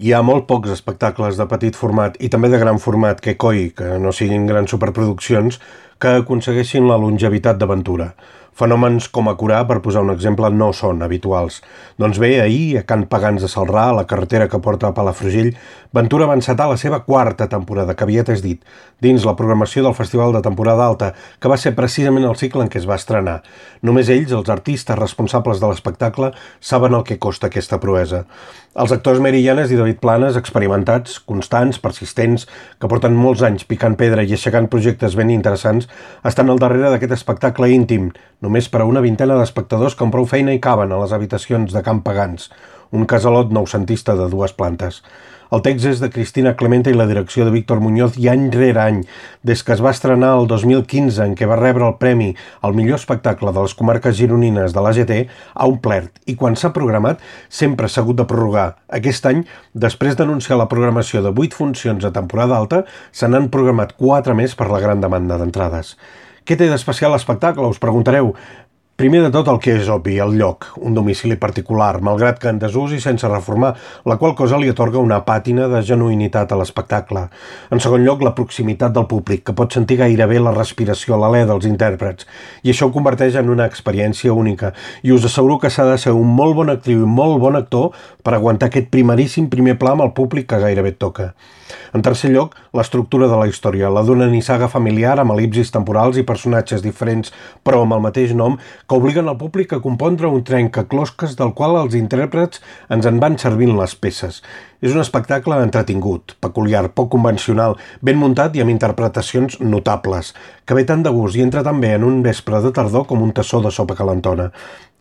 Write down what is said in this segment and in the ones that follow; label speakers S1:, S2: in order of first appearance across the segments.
S1: Hi ha molt pocs espectacles de petit format i també de gran format que no siguin grans superproduccions, que aconsegueixin la longevitat d'aventura. Fenòmens com a Curà, per posar un exemple, no són habituals. Doncs bé, ahir, a Can Pagans de Celrà, a la carretera que porta a Palafrugell, Ventura va encetar la seva quarta temporada, que aviat és dit, dins la programació del Festival de Temporada Alta, que va ser precisament el cicle en què es va estrenar. Només ells, els artistes responsables de l'espectacle, saben el que costa aquesta proesa. Els actors Mary Llanes i David Planes, experimentats, constants, persistents, que porten molts anys picant pedra i aixecant projectes ben interessants, estan al darrere d'aquest espectacle íntim, només per a una vintena d'espectadors que amb prou feina hi caben a les habitacions de Can Pagans, un casalot noucentista de 2 plantes. El text és de Cristina Clemente i la direcció de Víctor Muñoz i any rere any, des que es va estrenar el 2015, en què va rebre el premi al millor espectacle de les comarques gironines de l'AGT, ha omplert, i quan s'ha programat sempre s'ha hagut de prorrogar. Aquest any, després d'anunciar la programació de 8 funcions a temporada alta, se n'han programat 4 més per la gran demanda d'entrades. Què té d'especial l'espectacle, us preguntareu? Primer de tot el que és obvi, el lloc, un domicili particular, malgrat que en desús i sense reformar, la qual cosa li atorga una pàtina de genuïnitat a l'espectacle. En segon lloc, la proximitat del públic, que pot sentir gairebé la respiració a l'alè dels intèrprets, i això ho converteix en una experiència única, i us asseguro que s'ha de ser un molt bon actriu i molt bon actor per aguantar aquest primeríssim primer pla amb el públic que gairebé et toca. En tercer lloc, l'estructura de la història, la d'una nissaga familiar amb elipsis temporals i personatges diferents, però amb el mateix nom, que obliguen el públic a compondre un trencaclosques del qual els intèrprets ens en van servint les peces. És un espectacle entretingut, peculiar, poc convencional, ben muntat i amb interpretacions notables, que ve tant de gust i entra també en un vespre de tardor com un tassó de sopa calentona.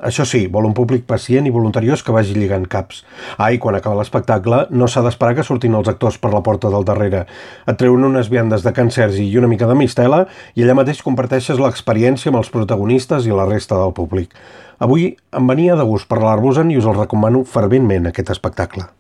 S1: Això sí, vol un públic pacient i voluntariós que vagi lligant caps. I quan acaba l'espectacle no s'ha d'esperar que surtin els actors per la porta del darrere. Et treuen unes viandes de Can Sergi i una mica de mistela i allà mateix comparteixes l'experiència amb els protagonistes i la resta del públic. Avui em venia de gust parlar-vos-en i us el recomano ferventment, aquest espectacle.